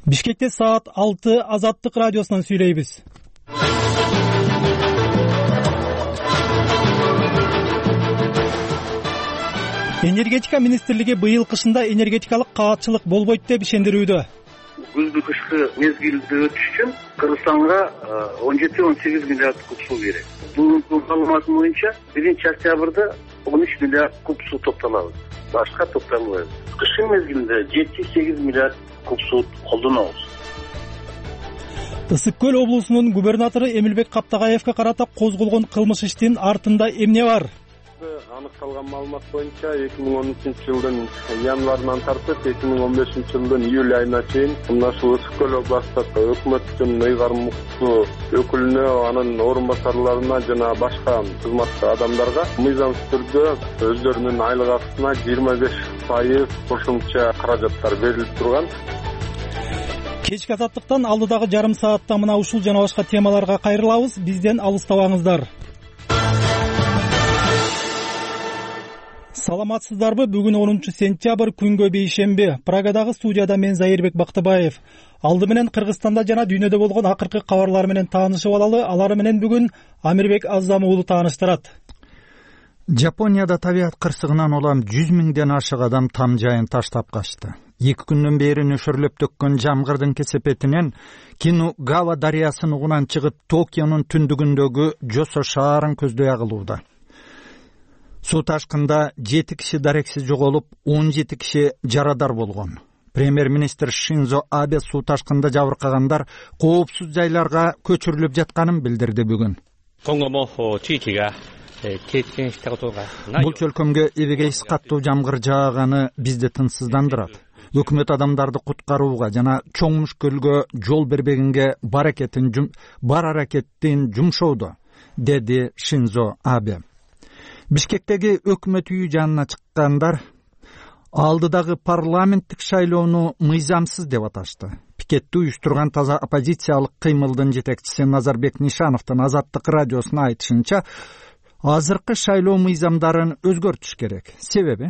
Бишкекте саат 6 Азаттык радиосунан сүйлөйбүз. Энергетика министрлиги быйыл кышында энергетикалык каатчылык болбойт деп ишендирүүдө. Күздү кышкы мезгилди өтүш үчүн Кыргызстанга 17-18 миллиард куб суу керек. Бүгүнкү маалыматым боюнча 1-октябрда 13 миллиард куб суу топтолобуз. Башка топтолбойбуз. Кышкы мезгилде 7-8 миллиард куб суу колдонобуз. Ысык көл облусунун губернатору Эмилбек Каптагаевге карата козголгон кылмыш иштин артында эмне бар? Аныкталган маалымат боюнча 2013-жылдын январынан тартып 2015-жылдын июль айына чейин мына ушул Ысык көл областык өкмөттүн ыйгармыктуу өкүлүнө, анын орун басарларына жана башка кызматтуу адамдарга мыйзамсыз түрдө өздөрүнүн айлык акысына 25% кошумча каражаттар берилип турган. Кечки Азаттыктан алдыдагы жарым саатта мына ушул жана башка темаларга кайрылабыз. Бизден алыстабаңыздар. Саламатсыздарбы? Бүгүн 10-сентябрь күнгө бейшемби. Прагадагы студияда мен Зайырбек Бактыбаев. Алды менен Кыргызстанда жана дүйнөдө болгон акыркы кабарлар менен таанышып алалы. Алар менен бүгүн Амирбек Азам уулу тааныштырат. Жапонияда табият кырсыгынан улам 100 миңден ашык адам там жайын таштап качты. 2 күндөн бери нөшөрлөп төккөн жамгырдын кесепетинен Кинугава дарыясын угунан чыгып Токионун түндүгүндөгү Жосо шаарын көздөй агылууда. Суу ташкында 7 киши дарексиз жоголуп, 17 киши жарадар болгон. Премьер-министр Шинзо Абе суу ташкында жабыркагандар коопсуз жайларга көчүрүлүп жатканын билдирди бүгүн. Бул чөлкөмгө эбегейсиз каттуу жамгыр жааганы бизди тынчсыздандырат. Өкмөт адамдарды куткарууга жана чоң мүшкүлгө жол бербегенге бар аракеттин жумшоодо, деди Шинзо Абе. Бишкектеги өкмөт үйү жанына чыккандар алдыдагы парламенттик шайлоону мыйзамсыз деп аташты. Пикетти уюштурган таза оппозициялык кыймылдын жетекчиси Назарбек Нишановдун Азаттык радиосуна айтышынча, азыркы шайлоо мыйзамдарын өзгөртүш керек. Себеби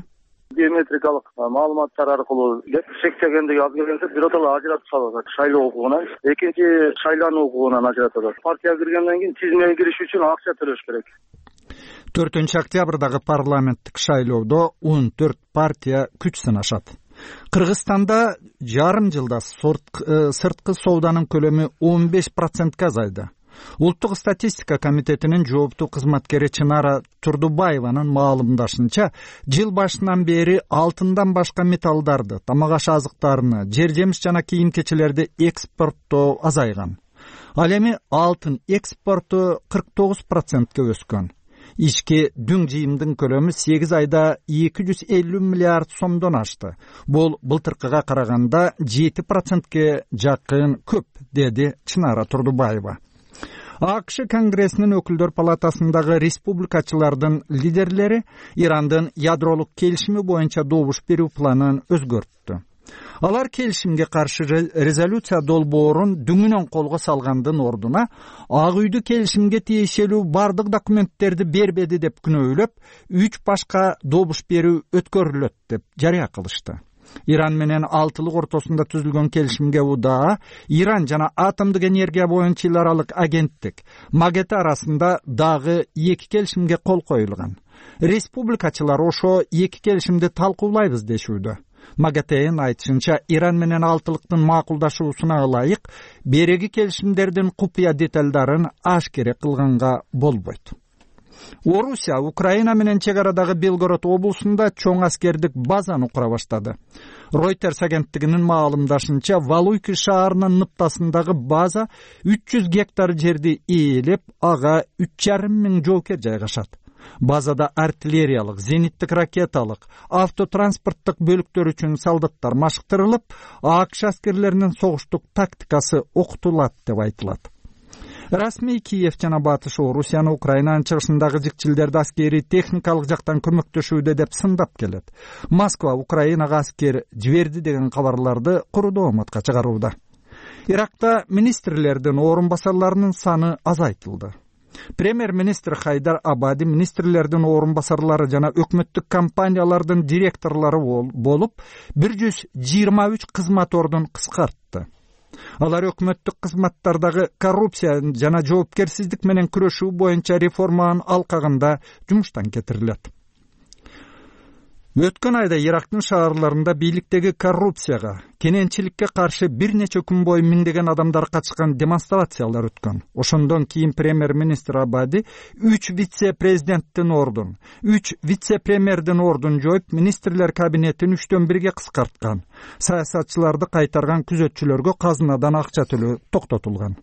биометрикалык маалыматтар аркылуу шектегендиги аз келгенде биротоло ажыратып салат. Шайлоо укугунан, экинчи шайлануу укугунан ажыратат. Партия киргенден кийин тизмеге кириш үчүн акча төлөш керек. 4-октябрдагы парламенттик шайлоодо 14 партия күч сынашат. Кыргызстанда жарым жылда сырткы сооданын көлөмү 15%га азайды. Улуттук статистика комитетинин жооптуу кызматкери Чынара Турдубаеванын маалымдашынча, жыл башынан бери алтындан башка металлдарды, тамак аш азыктарыны, жер жемиш жана кийим-кечелерди экспорттоо азайган. Ал эми алтын экспорту 49%га өскөн. Ички дүң жыйымдын көлөмү 8 айда 250 миллиард сомдон ашты. Бул былтыркыга караганда 7%ге жакын көп, деди Чынара Турдубаева. АКШ Конгрессинин өкүлдөр палатасындагы республикачылардын лидерлери Ирандын ядролук келишими боюнча добуш берүү планын өзгөрттү. Алар келишимге каршы резолюция долбоорун дүңүнөн колго салгандын ордуна Ак үйдү келишимге тиешелүү бардык документтерди бербеди деп күнөөлөп, 3 башка добуш берүү өткөрүлөт деп жарыя кылышты. Иран менен Алтылык ортосунда түзүлгөн келишимге удаа Иран жана атомдук энергия боюнча эл аралык агенттик МАГАТЭ арасында дагы 2 келишимге кол коюлган. Республикачылар ошо 2 келишимди талкуулайбыз дешүүдө. МАГАТЭнин айтышынча, Иран менен Алтылыктын макулдашуусуна ылайык береги келишимдердин купуя деталдарын ашкере кылганга болбойт. Орусия Украина менен чек арадагы Белгород облусунда чоң аскердик базаны кура баштады. Reuters агенттигинин маалымдашынча, Валуйки шаарынын ныптасындагы база 300 гектар жерди ээлеп, ага 3,5 миң жоокер жайгашат. Базада артиллериялык, зениттик ракеталык, автотранспорттук бөлүктөр үчүн солдаттар машыктырылып, АКШ аскерлеринин согуштук тактикасы окутулат деп айтылат. Расмий Киев жана Батыш Орусияны Украинанын чыгышындагы жикчилдерди аскери техникалык жактан көмөктөшүүдө деп сындап келет. Москва Украинага аскер жиберди деген кабарларды куру дооматка чыгарууда. Иракта министрлердин орун басарларынын саны азайтылды. Премьер-министр Хайдар Абади министрлердин орун басарлары жана өкмөттүк компаниялардын директорлору болуп 123 кызмат ордун кыскартты. Алар өкмөттүк кызматтардагы коррупция жана жоопкерсиздик менен күрөшүү боюнча реформанын алкагында жумуштан кетирилет. Өткөн айда Ирактын шаарларында бийликтеги коррупцияга, кененчиликке каршы бир нече күн бою миңдеген адамдар катышкан демонстрациялар өткөн. Ошондон кийин премьер-министр Абади 3 вице-президенттин ордун, 3 вице-премьердин ордун жоюп, министрлер кабинетин 3дөн 1 кыскарткан. Саясатчыларды кайтарган күзөтчүлөргө казынадан акча төлөө токтотулган.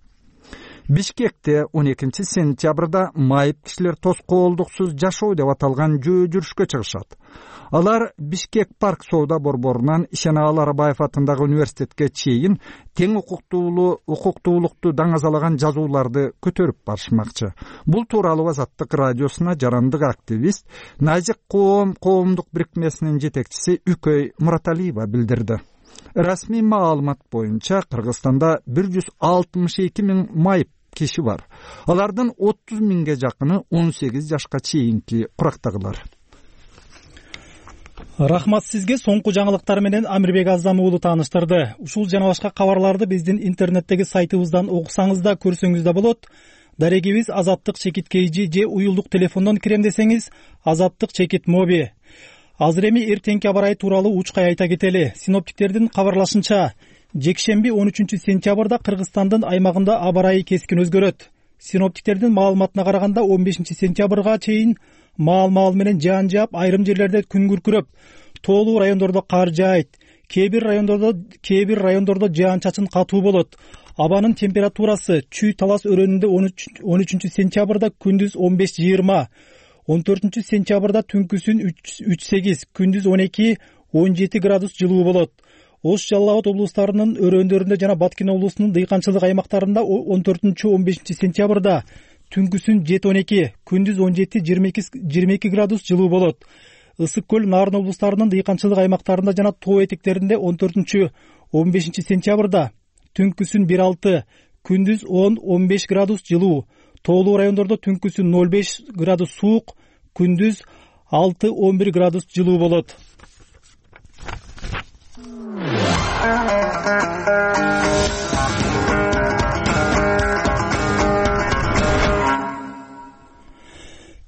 Бишкекте 12 сентябрда майып кишилер тоскоолдуксуз жашоо деп аталган жөө жүрүшкө чыгышат. Алар Бишкек парк соода борборунан Ишеналы Арабаев атындагы университетке чейин тең укуктуулукту даңазалаган жазууларды көтөрүп барышмакчы. Бул тууралуу Азаттык радиосуна жарандык активист Назик коомдук бирикмесинин жетекчиси Үкөй Мураталиева билдирди. Расмий маалымат боюнча Кыргызстанда 162 миң майып киши бар. Алардын 30 миңге жакыны 18 жашка чейинки курактагылар. Рахмат сизге. Соңку жаңылыктар менен Амирбек Азам уулу тааныштырды. Ушул жана башка кабарларды биздин интернеттеги сайтыбыздан окусаңыз да, көрсөңүз да болот. Дарегибиз Азаттык чекит KG же уюлдук телефондон кирем десеңиз Азаттык чекит моби. Азыр эми эртеңки аба ырайы тууралуу учкай айта кетели. Синоптиктердин кабарлашынча, жекшемби 13 сентябрда Кыргызстандын аймагында аба ырайы кескин өзгөрөт. Синоптиктердин маалыматына караганда 15 сентябрга чейин маал менен жаан жаап, айрым жерлерде күн күркүрөп, тоолуу райондордо кар жаайт. Кээ бир райондордо жаан-чачын катуу болот. Абанын температурасы Чүй Талас өрөөнүндө 13 сентябрда күндүз 15-20, 14 сентябрда түнкүсүн 3-8, күндүз 12-17 градус жылуу болот. Ош Жалал Абад облустарынын өрөөндөрүндө жана Баткен облусунун дыйканчылык аймактарында 14-15 сентябрда түнкүсүн 7-12, күндүз 17-22 градус жылуу болот. Ысык көл Нарын облустарынын дыйканчылык аймактарында жана тоо этектеринде 14-15 сентябрда түнкүсүн 1-6, күндүз 10-15 градус жылуу. Тоолуу райондордо түнкүсүн 0-5 градус суук, күндүз 6-11 градус жылуу болот.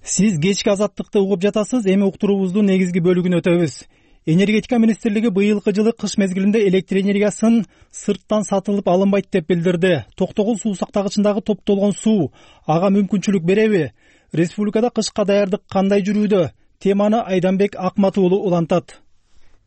Сиз кечки Азаттыкты угуп жатасыз. Эми уктуруубуздун негизги бөлүгүнө өтөбүз. Энергетика министрлиги быйылкы жылы кыш мезгилинде электр энергиясын сырттан сатылып алынбайт деп билдирди. Токтогул суу сактагычындагы топтолгон суу ага мүмкүнчүлүк береби? Республикада кышка даярдык кандай жүрүүдө? Теманы Айданбек Акматуулу улантат.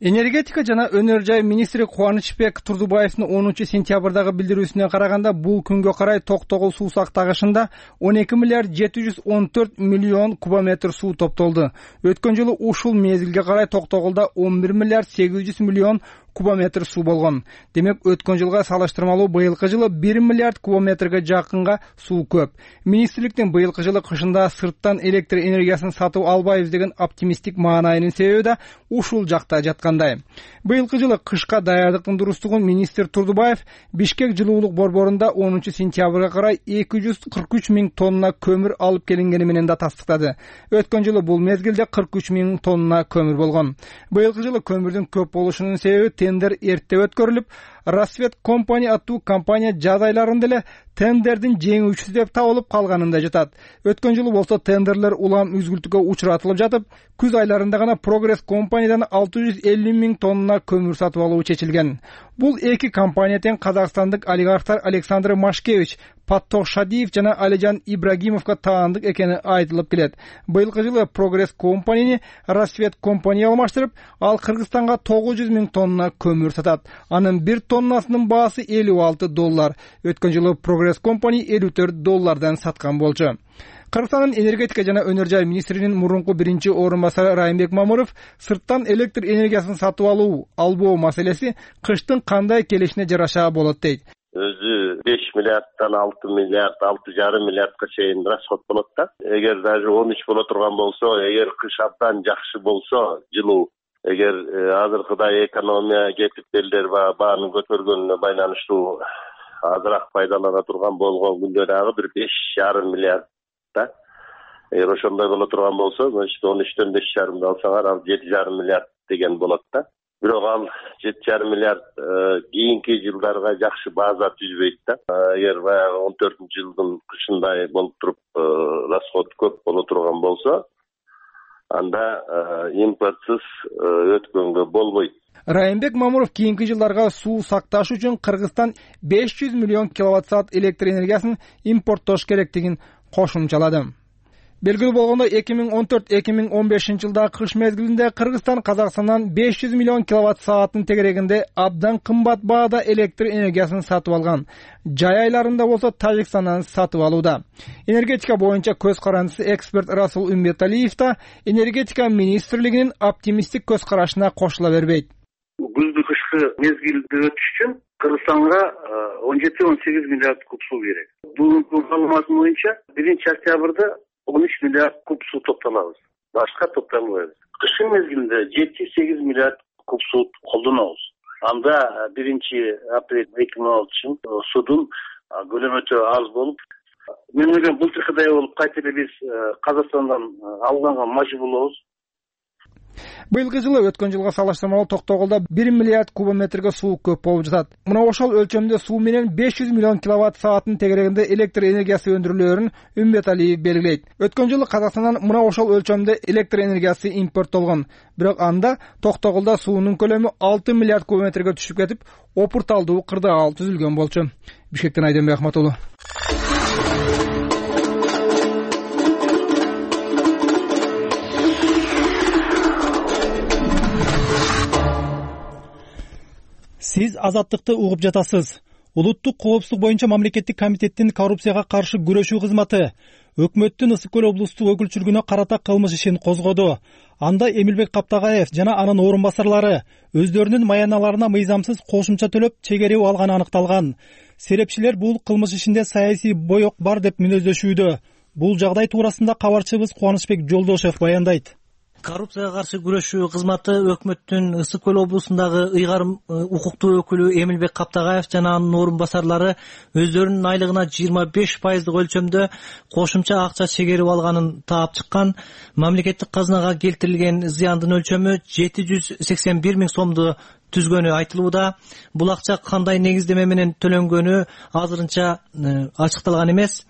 Энергетика жана өнөр жай министри Кубанычбек Турдубаевдин 10 сентябрдагы билдирүүсүнө караганда, бул күнгө карай Токтогул суу сактагычында 12 миллиард 714 миллион кубометр суу топтолду. Өткөн жылы ушул мезгилге карай Токтогулда 11 миллиард 800 миллион кубометр суу болгон. Демек, өткөн жылга салыштырмалуу быйылкы жылы 1 миллиард кубометрге жакынга суу көп. Министрликтин быйылкы жылы кышында сырттан электр энергиясын сатып албайбыз деген оптимисттик маанайынын себеби да ушул жакта жаткандай. Быйылкы жылы кышка даярдыктын дурустугун министр Турдубаев Бишкек жылуулук борборунда 10 сентябрга карай 243 миң тонна көмүр алып келингени менен да тастыктады. Өткөн жылы бул мезгилде 43 миң тонна көмүр болгон. Быйылкы жылы көмүрдүн көп болушунун себеби тендер эрте өткөрүлүп, Рассвет компани аттуу компания жаз айларында эле тендердин жеңүүчүсү деп табылып калганында жатат. Өткөн жылы болсо тендерлер улам үзгүлтүккө учуратылып жатып, күз айларында гана Прогресс компаниядан 650 миң тонна көмүр сатып алуу чечилген. Бул эки компания тең казакстандык олигархтар Александр Машкевич, Паттох Шадиев жана Алижан Ибрагимовго таандык экени айтылып келет. Быйылкы жылы Прогресс компанияны Рассвет компания алмаштырып, ал Кыргызстанга 900 миң тонна көмүр сатат. Анын 1 тоннасынын баасы $56. Өткөн жылы Прогресс компания $54 саткан болчу. Кыргызстандын энергетика жана өнөр жай министринин мурунку биринчи орун басары Райымбек Мамыров сырттан электр энергиясын сатып албоо маселеси кыштын кандай келишине жараша болот дейт. Өзү 5 миллиарддан 6 миллиард, 6,5 миллиардка чейин расход болот да. Эгер даже 13 боло турган болсо, эгер кыш абдан жакшы болсо, жылуу, эгер азыркыдай экономия кепилдер баанын көтөргөнүнө байланыштуу азыраак пайдалана турган болгон күндө дагы бир 5,5 миллиард да. Эгер ошондой боло турган болсо, значит 13төн 5,5 алсаңар, ал 7,5 миллиард деген болот да. бирок ал 7,5 миллиард кийинки жылдарга жакшы база түзбөйт да. Эгер баягы 14-жылдын кышындай болуп туруп расход көп боло турган болсо, анда импортсыз өткөнгө болбойт. Райымбек Мамуров кийинки жылдарга суу сакташ үчүн Кыргызстан 500 миллион киловатт-саат электр энергиясын импорттош керектигин кошумчалады. Белгилүү болгондой 2014-2015 жылдагы кыш мезгилинде Кыргызстан Казакстандан 500 миллион киловатт-сааттын тегерегинде абдан кымбат баада электр энергиясын сатып алган. Жай айларында болсо Тажикстандан сатып алууда. Энергетика боюнча көз карандысы эксперт Расул Умбеталиев да энергетика министрлигинин оптимисттик көз карашына кошула бербейт. Күздү кышкы мезгилди өтүш үчүн Кыргызстанга 17-18 миллиард куб суу керек. Бүгүнкү маалыматым боюнча 1-октябрда 13 миллиард куб суу топтолобуз. Башка топтолбойбуз. Кышын мезгилинде 7-8 миллиард куб суу колдонобуз. Анда 1-апрель 2016 судун көлөмү өтө аз болуп, мен ойлойм былтыркыдай болуп кайта эле биз Казакстандан алганга мажбур болобуз. Быйылкы жылы өткөн жылга салыштырмалуу Токтогулда 1 миллиард кубометрге суу көп болуп жатат. Мына ошол өлчөмдө суу менен 500 миллион киловатт-сааттын тегерегинде электр энергиясы өндүрүлөөрүн Умбеталиев белгилейт. Өткөн жылы Казакстандан мына ошол өлчөмдө электр энергиясы импорттолгон. Бирок анда Токтогулда суунун көлөмү 6 миллиард кубометрге түшүп кетип, опурталдуу кырдаал түзүлгөн болчу. Бишкектен Айденбек Ахматуллу. Сиз азаттыкты угуп жатасыз. Улуттук коопсуздук боюнча мамлекеттик комитеттин коррупцияга каршы күрөшүү кызматы өкмөттүн Ысык көл облустук өкүлчүлүгүнө карата кылмыш ишин козгоду. Анда Эмилбек Каптагаев жана анын орун басарлары өздөрүнүн маяналарына мыйзамсыз кошумча төлөп чегерип алганы аныкталган. Серепчилер бул кылмыш ишинде саясий боек бар деп мүнөздөшүүдө. Бул жагдай туурасында кабарчыбыз Кубанычбек Жолдошев баяндайт. Коррупцияга каршы күрөшүү кызматы өкмөттүн Ысык көл облусундагы ыйгарым укуктуу өкүлү Эмилбек Каптагаев жана анын орун басарлары өздөрүнүн айлыгына 25% өлчөмдө кошумча акча чегерип алганын таап чыккан. Мамлекеттик казынага келтирилген зыяндын өлчөмү 781 миң сомду түзгөнү айтылууда. Бул акча кандай негиздеме менен төлөнгөнү азырынча ачыкталган эмес.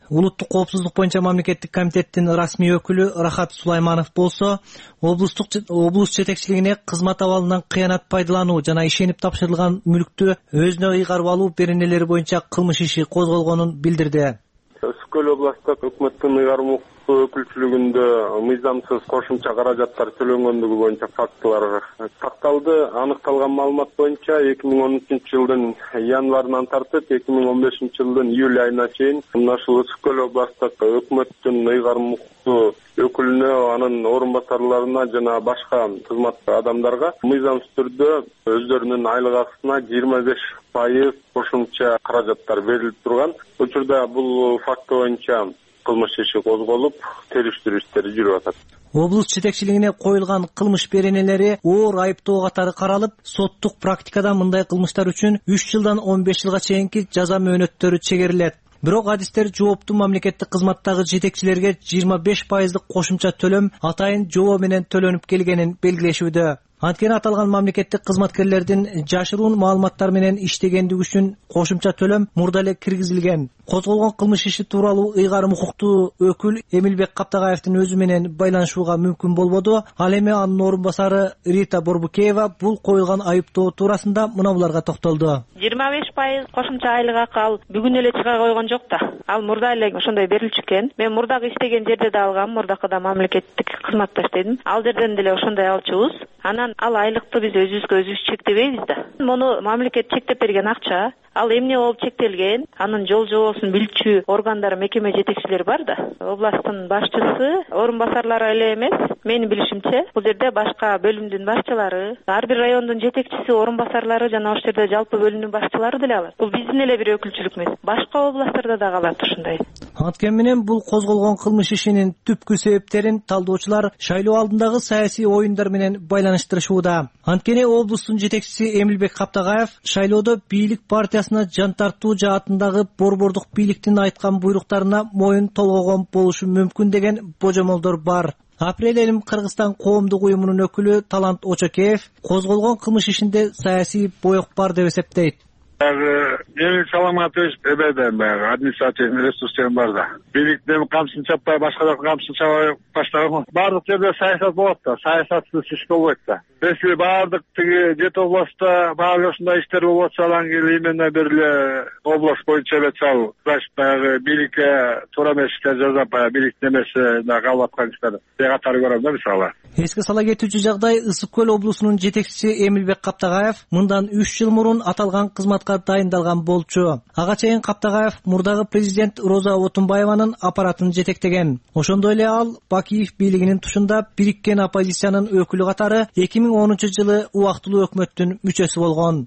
Улуттук коопсуздук боюнча мамлекеттик комитеттин расмий өкүлү Рахат Сулайманов болсо, облус жетекчилигине кызмат абалынан кыянат пайдалануу жана ишенип тапшырылган мүлктү өзүнө ыйгарып алуу беренелери боюнча кылмыш иши козголгонун билдирди. Ысык көл областык өкмөттүн ыйгарым өкүлчүлүгүндө мыйзамсыз кошумча каражаттар төлөнгөндүгү боюнча фактылар такталды. Аныкталган маалымат боюнча 2013 жылдын январынан тартып 2015 жылдын июль айына чейин мына ушул Ысык көл областык өкмөттүн ыйгарым өкүлүнө, анын орун басарларына жана башка кызмат адамдарга мыйзамсыз түрдө өздөрүнүн айлык акысына 25% кошумча каражаттар берилип турган. Учурда бул факт боюнча кылмыш иши козголуп, териштирүү иштери жүрүп атат. Облус жетекчилигине коюлган кылмыш беренелери оор айыптоо катары каралып, соттук практикада мындай кылмыштар үчүн 3 жылдан 15 жылга чейинки жаза мөөнөттөрү чегерилет. Бирок адистер жооптуу мамлекеттик кызматтагы жетекчилерге 25% кошумча төлөм атайын жобо менен төлөнүп келгенин белгилешүүдө. Анткени аталган мамлекеттик кызматкерлердин жашыруун маалыматтар менен иштегендиги үчүн кошумча төлөм мурда эле киргизилген. Козголгон кылмыш иши тууралуу ыйгарым укуктуу өкүл Эмилбек Каптагаевдин өзү менен байланышууга мүмкүн болбоду. Ал эми анын орун басары Рита Борбукеева бул коюлган айыптоо туурасында мына буларга токтолду. 25% кошумча айлык акы ал бүгүн эле чыга койгон жок да. Ал мурда эле ошондой берилчү экен. Мен мурдагы иштеген жерде да алгам, мурдакыда мамлекеттик кызматта иштедим. Ал жерден деле ошондой алчубуз. Анан ал айлыкты биз өзүбүзгө өзүбүз чектебейбиз да. Муну мамлекет чектеп берген акча. Ал эмне болуп чектелген? Анын жол жобосун билчү органдар, мекеме жетекчилери бар да. Областтын башчысы, орун басарлары эле эмес, менин билишимче, бул жерде башка бөлүмдүн башчылары, ар бир райондун жетекчиси, орун басарлары жана ошол жерде жалпы бөлүмдүн башчылары деле алат. Бул биздин эле бир өкүлчүлүк эмес. Башка областтарда да калат ушундай. Анткени менен бул козголгон кылмыш ишинин түпкү себептерин талдоочулар шайлоо алдындагы саясий оюндар менен байланыштырышууда. Анткени облустун жетекчиси Эмилбек Каптагаев шайлоодо бийлик партиясына жан тартуу жаатындагы борбордук бийликтин айткан буйруктарына моюн толгогон болушу мүмкүн деген божомолдор бар. Апрель айында Кыргызстан коомдук уюмунун өкүлү Талант Очокеев козголгон кылмыш ишинде саясий боек бар деп эсептейт. Эми саламатыбыз эбеден баягы административный ресурстер бар да. Бийликтин камчысын чаппай башка жактан камчысын чабай баштаган. Баардык жерде саясат болот да, саясатсыз иш болбойт да. Если баардык тиги жети областта баары ушундай иштер болуп атса, анан кийин именно бир эле область боюнча эле чабуу. Значит, баягы бийликке туура эмес иштер жасап, баягы бийликтин эмеси калып аткан иштер катары көрөм да мисалы. Эске сала кетүүчү жагдай Ысык көл облусунун жетекчиси Эмилбек Каптагаев мындан 3 жыл мурун аталган кызматка дайындалган болчу. Ага чейин Каптагаев мурдагы президент Роза Отунбаеванын аппаратын жетектеген. Ошондой эле ал Бакиев бийлигинин тушунда бириккен оппозициянын өкүлү катары 2010-жылы убактылуу өкмөттүн мүчөсү болгон.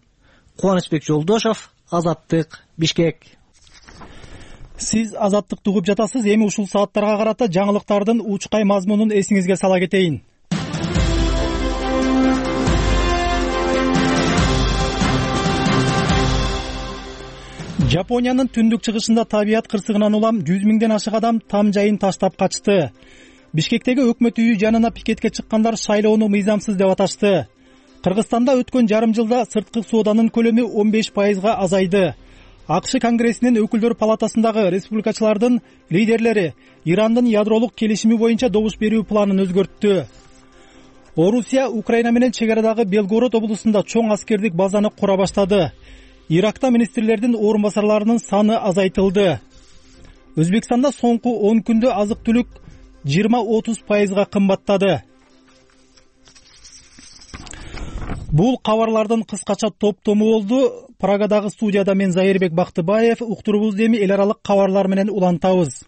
Кубанычбек Жолдошов, Азаттык, Бишкек. Сиз Азаттыкты угуп жатасыз. Эми ушул сааттарга карата жаңылыктардын учкай мазмунун эсиңизге сала кетейин. Жапониянын түндүк чыгышында табият кырсыгынан улам 100 миңден ашык адам там жайын таштап качты. Бишкектеги өкмөт үйү жанына пикетке чыккандар шайлоону мыйзамсыз деп аташты. Кыргызстанда өткөн жарым жылда сырткы сооданын көлөмү 15%га азайды. АКШ Конгрессинин өкүлдөр палатасындагы республикачылардын лидерлери Ирандын ядролук келишими боюнча добуш берүү планын өзгөрттү. Орусия Украина менен чек арадагы Белгород облусунда чоң аскердик базаны кура баштады. Иракта министрлердин орун басарларынын саны азайтылды. Өзбекстанда соңку 10 күндө азык-түлүк 20-30%га кымбаттады. Бул кабарлардын кыскача топтому болду. Прагадагы студияда мен Зайырбек Бактыбаев, уктурубузду эми эл аралык кабарлар менен улантабыз.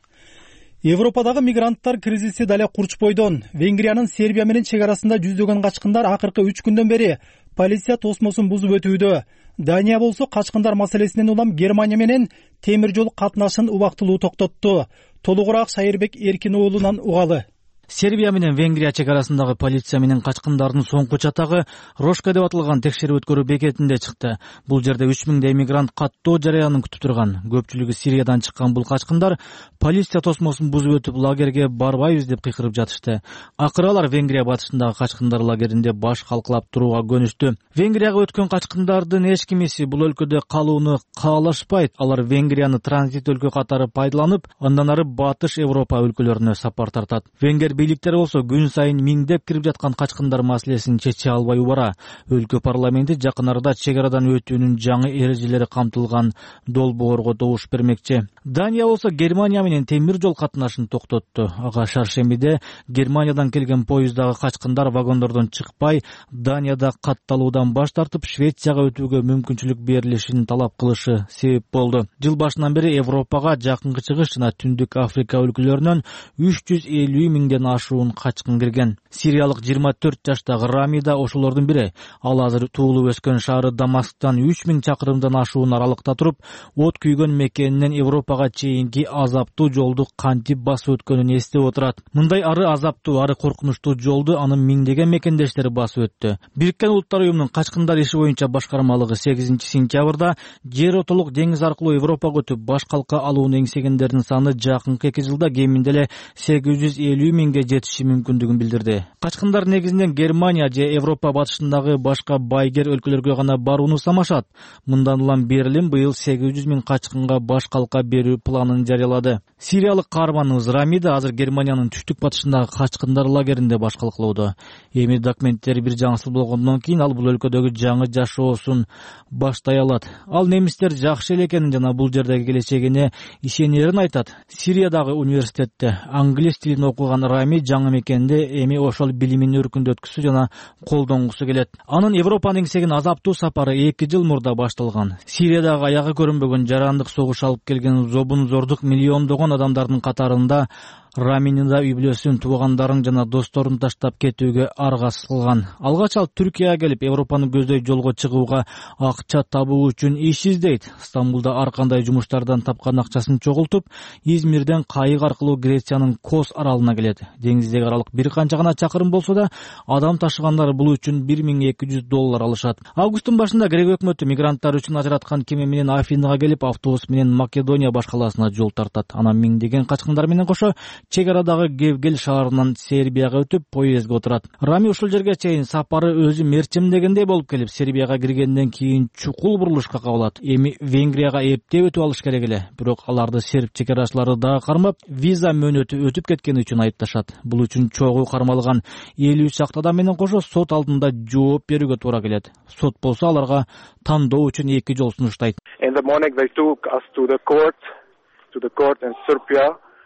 Европадагы мигранттар кризиси дале курч бойдон. Венгриянын Сербия менен чек арасында жүздөгөн качкындар акыркы 3 күндөн бери полиция тосмосун бузуп өтүүдө. Дания болсо качкындар маселесинен улам Германия менен темир жол катнашын убактылуу токтотту. Толугураак Шайырбек Эркин уулунан угалы. Сербия менен Венгрия чек арасындагы полиция менен качкындардын соңку чатагы Рошка деп аталган текшерүү өткөрүү бекетинде чыкты. Бул жерде 3000 мигрант каттоо жарыянын күтүп турган. Көпчүлүгү Сириядан чыккан бул качкындар полиция тосмосун бузуп өтүп лагерге барбайбыз деп кыйкырып жатышты. Акыры алар Венгрия батышындагы качкындар лагеринде баш калкалап турууга көнүштү. Венгрияга өткөн качкындардын эч кимиси бул өлкөдө калууну каалашпайт. Алар Венгрияны транзит өлкө катары пайдаланып, андан ары батыш Европа өлкөлөрүнө сапар тартат. Венгер бийликтери болсо күн сайын миңдеп кирип жаткан качкындар маселесин чече албай убара. Өлкө парламенти жакын арада чек арадан өтүүнүн жаңы эрежелери камтылган долбоорго добуш бермекчи. Дания болсо Германия менен темир жол катнашын токтотту. Ага шаршембиде Германиядан келген поезддагы качкындар вагондордон чыкпай, Данияда катталуудан баш тартып, Швецияга өтүүгө мүмкүнчүлүк берилишин талап кылышы себеп болду. Жыл башынан бери Европага жакынкы чыгыш жана Түндүк Африка өлкөлөрүнөн 350 миңден ашуун качкын кирген. Сириялык 24 жаштагы Рами да ошолордун бири. Ал азыр туулуп өскөн шаары Дамасктан 3000 чакырымдан ашуун аралыкта туруп, от күйгөн мекенинен Европага чейинки азаптуу жолду кантип басып өткөнүн эстеп отурат. Мындай ары азаптуу, ары коркунучтуу жолду анын миңдеген мекендештери басып өттү. Бириккен Улуттар уюмунун качкындар иши боюнча башкармалыгы 8 сентябрда жер отолук деңиз аркылуу Европага өтүп баш калка алууну эңсегендердин саны жакынкы 2 жылда кеминде эле 850 миңге жетиши мүмкүндүгүн билдирди. Качкындар негизинен Германия же Европа батышындагы башка байгер өлкөлөргө гана барууну самашат. Мындан улам Берлин быйыл 800 миң качкынга баш калка берүү планын жарыялады. Сириялык каарманыбыз Рамида азыр Германиянын түштүк батышындагы качкындар лагеринде баш калкалоодо. Эми документтери бир жаңысыл болгондон кийин ал бул өлкөдөгү жаңы жашоосун баштай алат. Ал немистер жакшы эле экенин жана бул жердеги келечегине ишенерин айтат. Сириядагы университетте англис тилин окуган Рами жаңы мекенде эми ошол билимин өркүндөткүсү жана колдонгусу келет. Анын Европанын эңсеген азаптуу сапары 2 жыл мурда башталган. Сириядагы аягы көрүнбөгөн жарандык согуш алып келген зобун-зордук миллиондогон адамдардын катарында Раминин да үй бүлөсүн, туугандарын жана досторун таштап кетүүгө аргасыз кылган. Алгач ал Түркияга келип, Европаны көздөй жолго чыгууга акча табуу үчүн иш издейт. Стамбулда ар кандай жумуштардан тапкан акчасын чогултуп, Измирден кайык аркылуу Грециянын Кос аралына келет. Деңиздеги аралык бир канча гана чакырым болсо да, адам ташыгандар бул үчүн $1200 алышат. Августтун башында Грек өкмөтү мигранттар үчүн ажыраткан кеме менен Афинага келип, автобус менен Македония баш калаасына жол тартат. Анан миңдеген качкындар менен кошо чек арадагы Гевгел шаарынан Сербияга өтүп поездге отурат. Рами ушул жерге чейин сапары өзү мерчимдегендей болуп келип, Сербияга киргенден кийин чукул бурулушка кабылат. Эми Венгрияга эптеп өтүп алыш керек эле. Бирок аларды серб чек арачылары дагы кармап, виза мөөнөтү өтүп кеткени үчүн айыпташат. Бул үчүн чогуу кармалган 53 чакты адам менен кошо сот алдында жооп берүүгө туура келет. Сот болсо аларга тандоо үчүн 2 жол сунуштайт.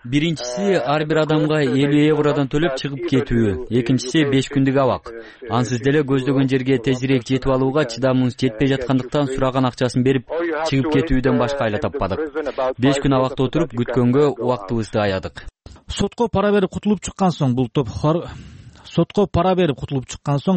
Биринчиси ар бир адамга 50 евродон төлөп чыгып кетүү, экинчиси 5 күндүк абак. Ансыз деле көздөгөн жерге тезирээк жетип алууга чыдамыбыз жетпей жаткандыктан сураган акчасын берип чыгып кетүүдөн башка айла таппадык. 5 күн абакта отуруп күткөнгө убактыбызды аядык. Сотко пара берип кутулуп чыккан соң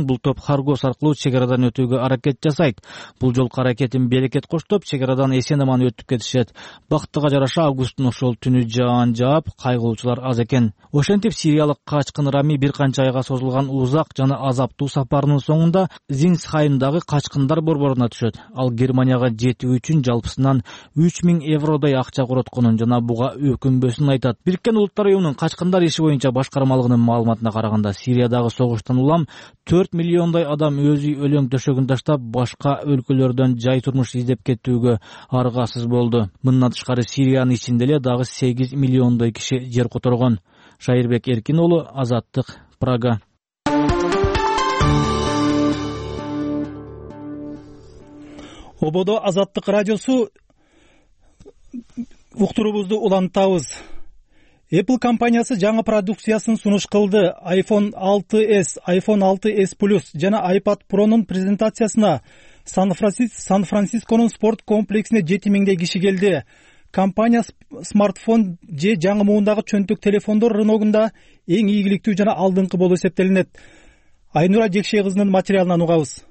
бул топ Харгос аркылуу чек арадан өтүүгө аракет жасайт. Бул жолку аракетин берекет коштоп, чек арадан эсен-аман өтүп кетишет. Бактыга жараша августтун ошол түнү жаан жаап, кайгылуучулар аз экен. Ошентип сириялык качкын Рами бир канча айга созулган узак жана азаптуу сапарынын соңунда Зингсхаймдагы качкындар борборуна түшөт. Ал Германияга жетүү үчүн жалпысынан 3000 евродой акча коротконун жана буга өкүнбөсүн айтат. Бириккен Улуттар уюмунун качкындар иши боюнча башкармалыгынын маалыматына караганда, Сириядагы согуштан улам 4 миллиондой адам өзү өлөң төшөгүн таштап, башка өлкөлөрдөн жай турмуш издеп кетүүгө аргасыз болду. Мындан тышкары Сириянын ичинде эле дагы 8 миллиондой киши жер которгон. Шайырбек Эркин уулу, Азаттык, Прага. Ободо Азаттык радиосу уктуруубузду улантабыз. Apple компаниясы жаңы продукциясын сунуш кылды. iPhone 6s, iPhone 6s Plus жана iPad Pro'нун презентациясына Сан-Францисконун спорт комплексине 7000 киши келди. Компания смартфон же жаңы муундагы чөнтөк телефондор рыногунда эң ийгиликтүү жана алдыңкы болуп эсептелинет. Айнура Жекшей кызынын материалынан угабыз.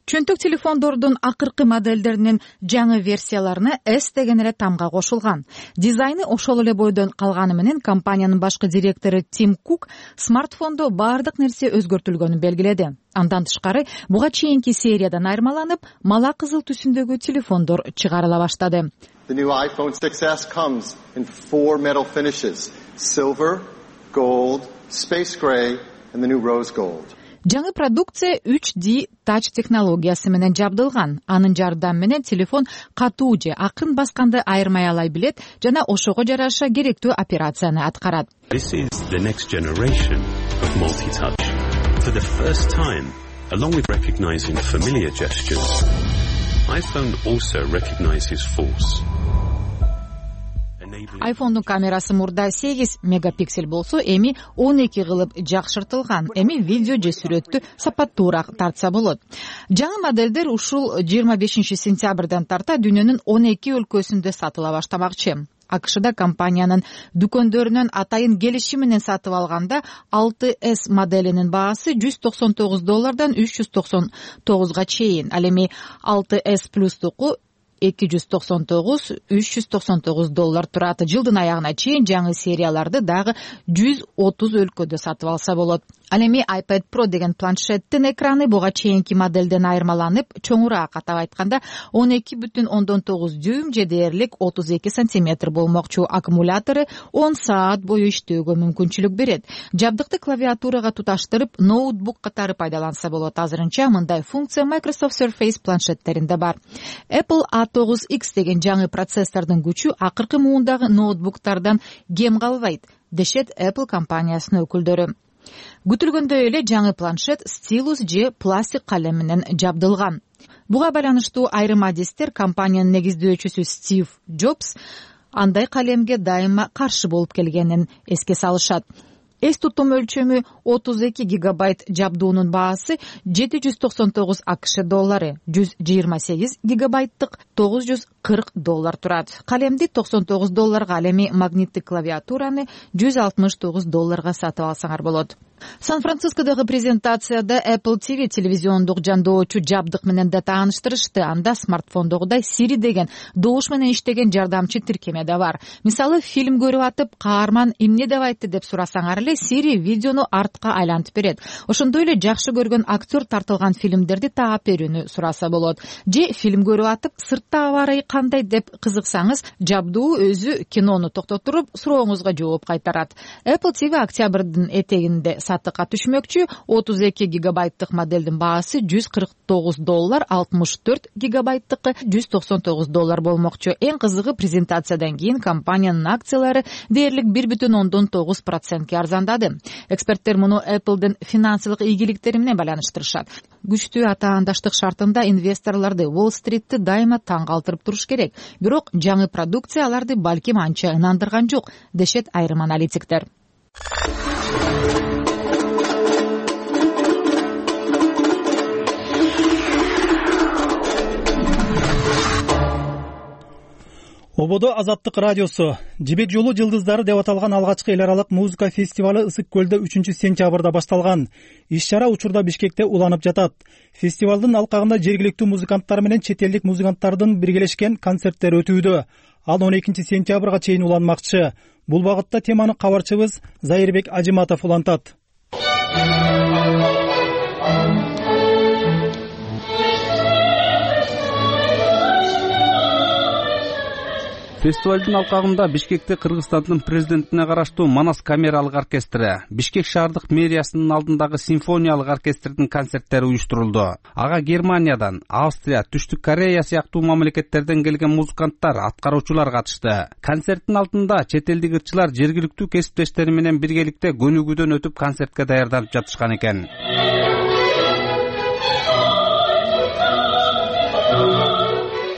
Чөнтөк телефондордун акыркы модельдеринин жаңы версияларына S деген эле тамга кошулган. Дизайны ошол эле бойдон калганы менен компаниянын башкы директору Тим Кук смартфондо баардык нерсе өзгөртүлгөнүн белгиледи. Андан тышкары буга чейинки сериядан айырмаланып, мала кызыл түсүндөгү телефондор чыгарыла баштады. The new iPhone 6s comes in 4 metal finishes: silver, gold, space gray, and the new rose gold. Жаңы продукция 3D Touch технологиясы менен жабдылган. Анын жардамы менен телефон катуу же акын басканды айырмай алай билет жана ошого жараша керектүү операцияны аткарат. This is the next generation of multi-touch. For the first time, along with recognizing familiar gestures, iPhone also recognizes force. iPhone'дун камерасы мурда 8 мегапиксель болсо, эми 12 кылып жакшыртылган. Эми видео же сүрөттү сапаттуураак тартса болот. Жаңы модельдер ушул 25 сентябрдан тарта дүйнөнүн 12 өлкөсүндө сатыла баштамакчы. АКШда компаниянын дүкөндөрүнөн атайын келишим менен сатып алганда 6s моделинин баасы $199 $399 чейин. Ал эми 6s Plus-туку $299-399 турат. Жылдын аягына чейин жаңы серияларды дагы 130 өлкөдө сатып алса болот. Ал эми iPad Pro деген планшеттин экраны буга чейинки моделден айырмаланып, чоңураак, атап айтканда 12,9 дюйм же дээрлик 32 сантиметр болмокчу. Аккумулятору 10 саат бою иштөөгө мүмкүнчүлүк берет. Жабдыкты клавиатурага туташтырып, ноутбук катары пайдаланса болот. Азырынча мындай функция Microsoft Surface планшеттеринде бар. Apple A9X деген жаңы процессордун күчү акыркы муундагы ноутбуктардан кем калбайт, дешет Apple компаниясынын өкүлдөрү. Күтүлгөндөй эле жаңы планшет стилус же пластик калем менен жабдылган. Буга байланыштуу айрым адистер компаниянын негиздөөчүсү Стив Джобс андай калемге дайыма каршы болуп келгенин эске салышат. Эс тутум өлчөмү 32 гигабайт жабдуунун баасы $799 АКШ, 128 гигабайттык $940 турат. Калемди $99, ал эми магниттик клавиатураны $169 сатып алсаңар болот. Сан-Францискодогу презентацияда Apple TV телевизиондук жандоочу жабдык менен да тааныштырышты. Анда смартфондогудай Siri деген добуш менен иштеген жардамчы тиркеме да бар. Мисалы, фильм көрүп атып, каарман эмне деп айтты деп сурасаңар эле Siri видеону артка айлантып берет. Ошондой эле жакшы көргөн актер тартылган фильмдерди таап берүүнү сураса болот. Же фильм көрүп атып, сыртта аба ырайы кандай деп кызыксаңыз, жабдуу өзү кинону токтотуруп, сурооңузга жооп кайтарат. Apple TV октябрдын этегинде сатыкка түшмөкчү. 32 гигабайттык моделдин баасы $149, 64 гигабайттыкы $199 болмокчу. Эң кызыгы, презентациядан кийин компаниянын акциялары дээрлик 1,9%ке арзандады. Эксперттер муну Apple'дын финансылык ийгиликтери менен байланыштырышат. Күчтүү атаандаштык шартында инвесторлорду, Уолл-стритти дайыма таң калтырып туруш керек. Бирок жаңы продукция аларды балким анча ынандырган жок, дешет айрым аналитиктер. Ободо Азаттык радиосу Жибек жолу жылдыздары деп аталган алгачкы эл аралык музыка фестивалы Ысык көлдө 3-сентябрда башталган. Иш-чара учурда Бишкекте уланып жатат. Фестивалдын алкагында жергиликтүү музыканттар менен чет элдик музыканттардын биргелешкен концерттери өтүүдө. Ал 12-сентябрга чейин уланмакчы. Бул багытта теманы кабарчыбыз Зайырбек Ажиматов улантат. Фестивалдын алкагында Бишкекте Кыргызстандын президентине караштуу Манас камералык оркестри, Бишкек шаардык мэриясынын алдындагы симфониялык оркестрдин концерттери уюштурулду. Ага Германиядан, Австрия, Түштүк Корея сыяктуу мамлекеттерден келген музыканттар, аткаруучулар катышты. Концерттин алдында чет элдик ырчылар жергиликтүү кесиптештери менен биргеликте көнүгүүдөн өтүп концертке даярданып жатышкан экен.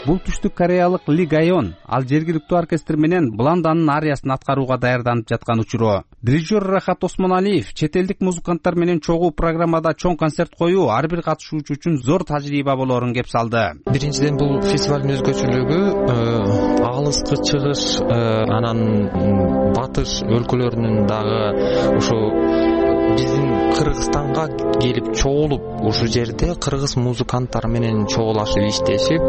Бул Түштүк Кореялык Ли Гайон, ал жергиликтүү оркестр менен Бланданын ариясын аткарууга даярданып жаткан учуру. Дирижер Рахат Осмоналиев чет элдик музыканттар менен чогуу программада чоң концерт коюу ар бир катышуучу үчүн зор тажрыйба болоорун кеп салды. Биринчиден, бул фестивалдын өзгөчөлүгү алыскы чыгыш, анан батыш өлкөлөрүнүн дагы ушу биздин Кыргызстанга келип чогулуп, ушу жерде кыргыз музыканттары менен чогулашып иштешип,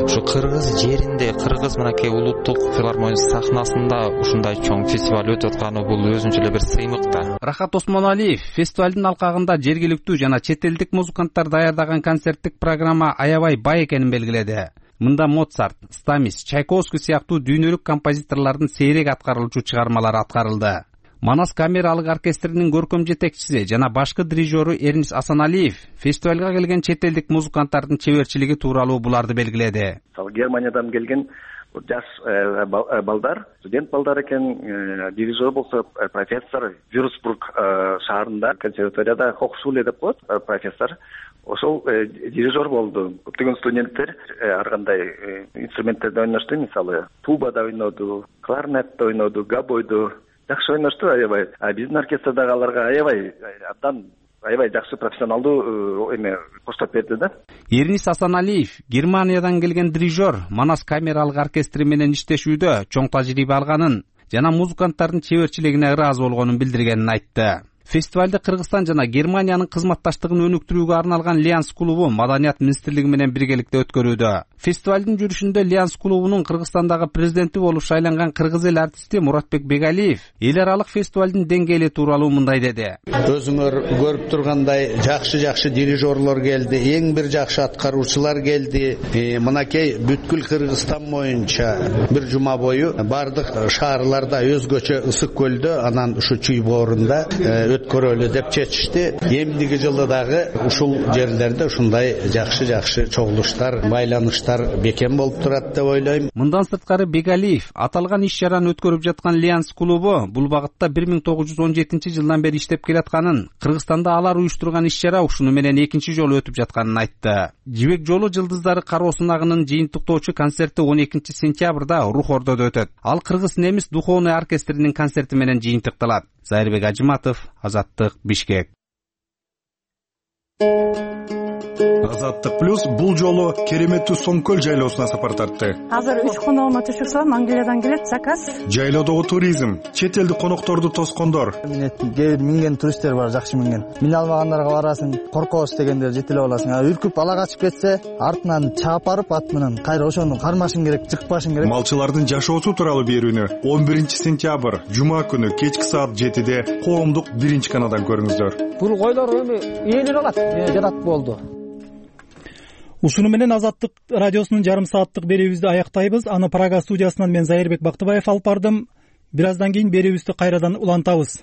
ушу кыргыз жеринде, кыргыз мынакей улуттук филармония сахнасында ушундай чоң фестиваль өтүп атканы бул өзүнчө эле бир сыймык да. Рахат Осмоналиев фестивалдын алкагында жергиликтүү жана чет элдик музыканттар даярдаган концерттик программа аябай бай экенин белгиледи. Мында Моцарт, Стамис, Чайковский сыяктуу дүйнөлүк композиторлордун сейрек аткарылуучу чыгармалары аткарылды. Манас камералык оркестринин көркөм жетекчиси жана башкы дирижеру Эрнис Асаналиев фестивалга келген чет элдик музыканттардын чеберчилиги тууралуу буларды белгиледи. Германиядан келген жаш балдар, студент балдар экен. Дирижер болсо профессор, Вюрцбург шаарында консерваторияда Хохшуле деп коет профессор. Ошол дирижер болду. Көптөгөн студенттер ар кандай инструменттерди ойношту, мисалы тубада ойноду, кларнетте ойноду, габойду. Жакшы ойношту аябай. Биздин оркестрдагы аларга аябай жакшы профессионалдуу коштоп берди да. Эрнис Асаналиев Германиядан келген дирижер Манас камералык оркестри менен иштешүүдө чоң тажрыйба алганын жана музыканттардын чеберчилигине ыраазы болгонун билдиргенин айтты. Фестивалды Кыргызстан жана Германиянын кызматташтыгын өнүктүрүүгө арналган Лианс клубу Маданият министрлиги менен биргеликте өткөрүүдө. Фестивалдын жүрүшүндө Лианс клубунун Кыргызстандагы президенти болуп шайланган кыргыз эл артисти Муратбек Бегалиев эл аралык фестивалдын деңгээли тууралуу мындай деди. Өзүңөр көрүп тургандай жакшы дирижерлор келди, эң бир жакшы аткаруучулар келди. Мынакей бүткүл Кыргызстан боюнча бир жума бою бардык шаарларда өзгөчө Ысык көлдө, анан ушу Чүй боорунда өткөрөлү деп чечишти. Эмдиги жылы дагы ушул жерлерде ушундай жакшы чогулуштар, байланыштар бекем болуп турат деп ойлойм. Мындан сырткары Бегалиев аталган иш-чараны өткөрүп жаткан Лианс клубу бул багытта 1917 жылдан бери иштеп келатканын, Кыргызстанда алар уюштурган иш-чара ушуну менен экинчи жолу өтүп жатканын айтты. Жибек жолу жылдыздары кароосунагынын жыйынтыктоочу концерти 12-сентябрда Рухордодо өтөт. Ал кыргыз-немис духовный оркестринин концерти менен жыйынтыкталат. Зайырбек Ажиматов, Азаттык, Бишкек. Азаттык плюс бул жолу кереметтүү Соңкөл жайлоосуна сапар тартты. Азыр 3 коногума түшүп салам, Англиядан келет заказ. Жайлоодогу туризм, чет элдик конокторду тоскондор. Минген туристтер бар, жакшы минген. Мине алмагандарга барасың, коркобуз дегендер жетелеп аласың. Үркүп ала качып кетсе, артынан чаап барып ат менен кайра ошону кармашың керек, жыкпашың керек. Малчылардын жашоосу тууралуу берүүнү 11-сентябрь жума күнү кечки саат 7-де коомдук 1-каналдан көрүңүздөр. Бул койлор эми ээлер алат, жатат болду. Ушуну менен Азаттык радиосунун жарым сааттык берүүбүздү аяктайбыз. Аны Прага студиясынан мен Зайырбек Бактыбаев алып бардым. Бир аздан кийин берүүбүздү кайрадан улантабыз.